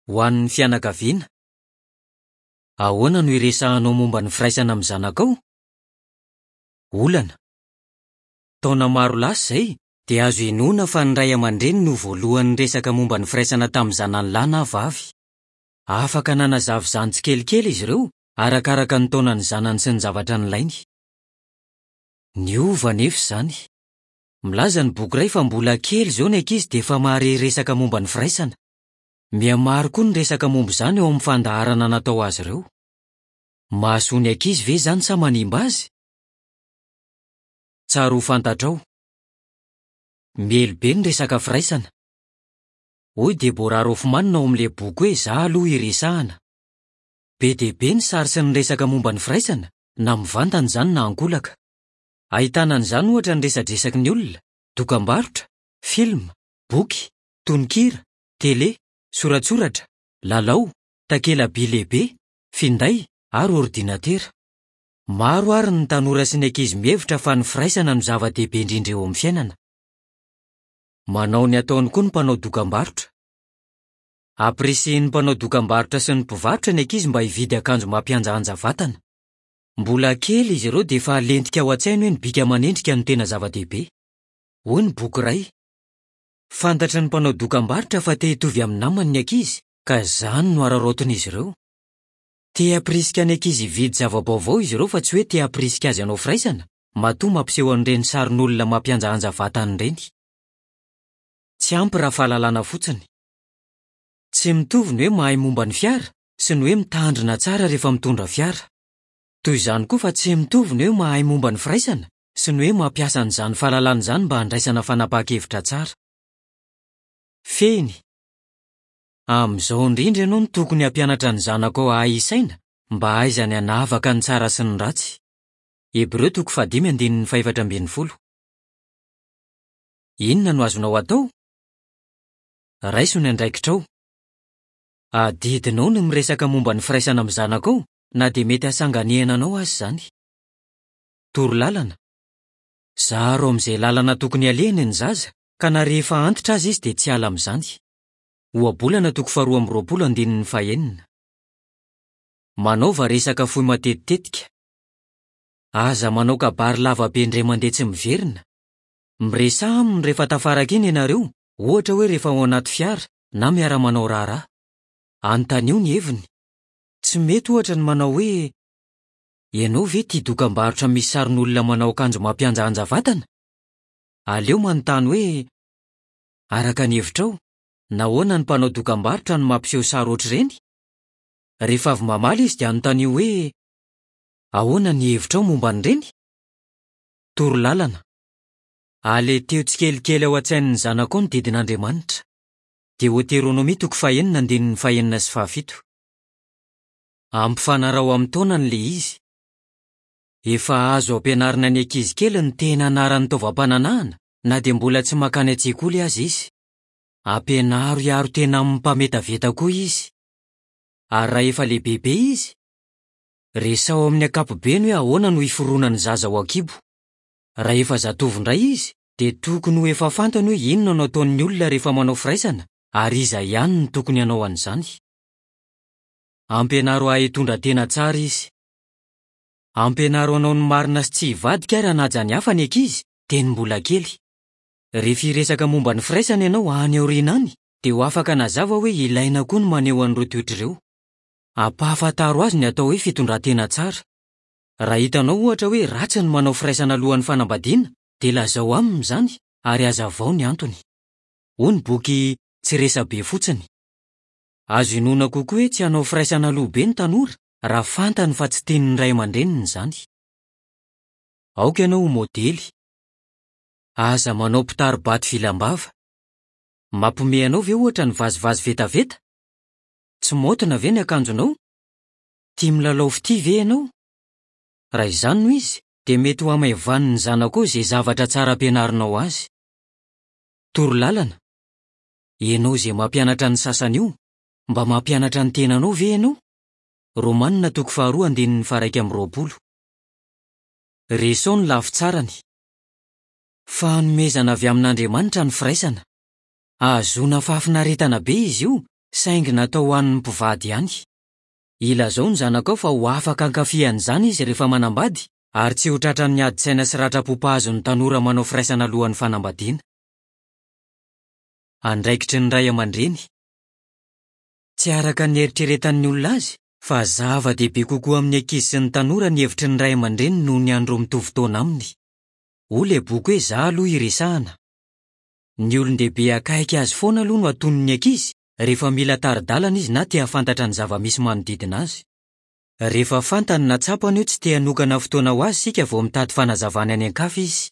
Ho an'ny fianakaviana. Ahoana no iresahanao momba ny firaisana amin'ny zanakao? Olana. Taona maro lasa izay dia azo inoana fa ny ray aman-dreny no voalohany niresaka momba ny firaisana tamin'ny zanany lahy na vavy. Afaka nanazava izany tsikelikely izy ireo arakaraka ny taonan'ny zanany sy ny zavatra nilainy. Niova anefa izany. Milaza ny boky iray fa mbola kely izao ny ankizy dia efa mahare resaka momba ny firaisana. Mihamaro koa ny resaka momba izany eo amin'ny fandaharana natao azy ireo. Mahasoa ny ankizy ve izany sa manimba azy? Tsara ho fantatrao. Miely be ny resaka firaisana. Hoy Deborah Roffman ao amin'ilay boky hoe Izaho Aloha Iresahana. Be dia be ny sary sy ny resaka momba ny firaisana, na mivantana izany na ankolaka. Ahitana an'izany ohatra ny resadresaky ny olona, dokam-barotra, filma, boky, tononkira, tele, soratsoratra, lalao, takela-by lehibe, finday ary ordinatera. Maro àry ny tanora sy ny ankizy mihevitra fa ny firaisana no zava-dehibe indrindra eo amin'ny fiainana. Manao ny ataony koa ny mpanao dokam-barotra. Ampirisihin'ny mpanao dokam-barotra sy ny mpivarotra ny ankizy mba hividy akanjo mampihanjahanja vatana. Mbola kely izy ireo dia efa alentika ao an-tsainy hoe ny bika aman'endrika no tena zava-dehibe. Hoy ny boky iray, Fantatry ny mpanao dokam-barotra fa te hitovy amin'ny namany ny ankizy, ka izany no araraotin'izy ireo. Te hampirisika ny ankizy hividy zava-baovao izy ireo fa tsy hoe te hampirisika azy hanao firaisana, matoa mampiseho an'ireny sarin'olona mampihanjahanja vatana ireny. Tsy ampy raha fahalalana fotsiny. Tsy mitovy ny hoe mahay momba ny fiara sy ny hoe mitandrina tsara rehefa mitondra fiara. Toy izany koa fa tsy mitovy ny hoe mahay momba ny firaisana sy ny hoe mampiasa an'izany fahalalana izany mba handraisana fanapahan-kevitra tsara. Fehiny, Amin'izao indrindra ianao no tokony hampianatra ny zanakao hahay hisaina mba hahaizany hanavaka ny tsara sy ny ratsy. Hebreo toko fahadimy andininy fahefatra ambin'ny folo. Inona no azonao atao? Raiso ny andraikitrao. Adidinao ny miresaka momba ny firaisana amin'ny zanakao na dia mety hahasanganehana anao aza izany. Torolalana, Zaro amin'izay lalana tokony halehany ny zaza ka na rehefa antitra aza izy dia tsy hiala amin'izany. Ohabolana toko faharoa amby roapolo andininy fahenina. Manaova resaka fohy matetitetika. Aza manao kabary lava be indray mandeha tsy miverina. Miresaha aminy rehefa tafaraka iny ianareo, ohatra hoe rehefa ao anaty fiara na miara-manao raharaha. Anontanio ny heviny. Tsy mety ohatra ny manao hoe Ianao ve tia dokam-barotra misy sarin'olona manao akanjo mampihanjahanja vatana? Aleo manontany hoe, Araka ny hevitrao, nahoana ny mpanao dokam-barotra no mampiseho sary hoatr'ireny? Rehefa avy mamaly izy dia anontanio hoe, Ahoana ny hevitrao momba an'ireny? Toro lalana, Aleteo tsikelikely ao an-tsain'ny zanakao ny didin'Andriamanitra. Deoteronomia toko fahenina andininy fahenina sy fahafito. Ampifanaraho amin'ny taonany ilay izy. Efa azo ampianarina ny ankizy kely ny tena anaran'ny taovam-pananahana na dia mbola tsy mankany an-tsekoly aza izy. Ampianaro hiaro tena amin'ny mpametaveta koa izy. Ary raha efa lehibebe izy? Resaho amin'ny ankapobeny hoe ahoana no hiforonan'ny zaza ao an-kibo. Raha efa zatovo indray izy, dia tokony ho efa fantany hoe inona no ataon'ny olona rehefa manao firaisana ary iza ihany no tokony hanao an'izany. Ampianaro hahay hitondra tena tsara izy. Ampianaro hanao ny marina sy tsy hivadika ary hanaja ny hafa ny ankizy, dieny mbola kely. Rehefa hiresaka momba ny firaisana ianao any aoriana any, dia ho afaka hanazava hoe ilaina koa ny maneho an'ireo toetra ireo. Ampahafantaro azy ny atao hoe fitondran-tena tsara. Raha hitanao ohatra hoe ratsy ny manao firaisana alohan'ny fanambadiana, dia lazao aminy izany ary hazavao ny antony. Hoy ny boky Tsy Resa-be Fotsiny. Azo inoana kokoa hoe tsy hanao firaisana aloha be ny tanora raha fantany fa tsy tian'ny ray aman-dreniny izany. Aoka ianao ho modely. Aza manao mpitari-bato vilam-bava. Mampihomehy anao ve ohatra ny vazivazy vetaveta? Tsy maotina ve ny akanjonao? Tia milalao fitia ve ianao? Raha izany no izy, dia mety ho hamaivanin'ny zanakao izay zavatra tsara ampianarinao azy. Toro lalana, Ianao izay mampianatra ny sasany io, mba mampianatra ny tenanao ve ianao? Romana toko faharoa andininy faha-21. Resaho ny lafy tsarany. Fanomezana avy amin'Andriamanitra ny firaisana. Ahazoana fahafinaretana be izy io saingy natao ho an'ny mpivady ihany. Ilazao ny zanakao fa ho afaka hankafy an'izany izy rehefa manambady ary tsy ho tratran'ny adin-tsaina sy ratram-po mpahazo ny tanora manao firaisana alohan'ny fanambadiana. Andraikitry ny ray aman-dreny. Tsy araka ny eritreretan'ny olona azy fa zava-dehibe kokoa amin'ny ankizy sy ny tanora ny hevitry ny ray aman-dreny noho ny an'ireo mitovy taona aminy. Hoy ilay boky hoe Izaho Aloha Iresahana. Ny olon-dehibe akaiky azy foana aloha no atonin'ny ankizy rehefa mila tari-dalana izy na te hahafantatra ny zava-misy manodidina azy. Rehefa fantany na tsapany hoe tsy te hanokana fotoana ho azy isika vao mitady fanazavana any an-kafa izy.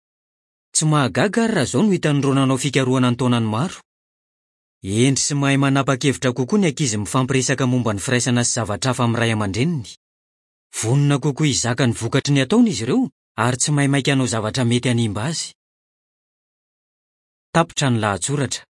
Tsy mahagaga àry raha izao no hitan'ireo nanao fikarohana an-taonany maro. Hendry sy mahay manapa-kevitra kokoa ny ankizy mifampiresaka momba ny firaisana sy zavatra hafa amin'ny ray aman-dreniny. Vonona kokoa hizaka ny vokatry ny ataony izy ireo ary tsy maimaika hanao zavatra mety hanimba azy. Tapitra ny lahatsoratra.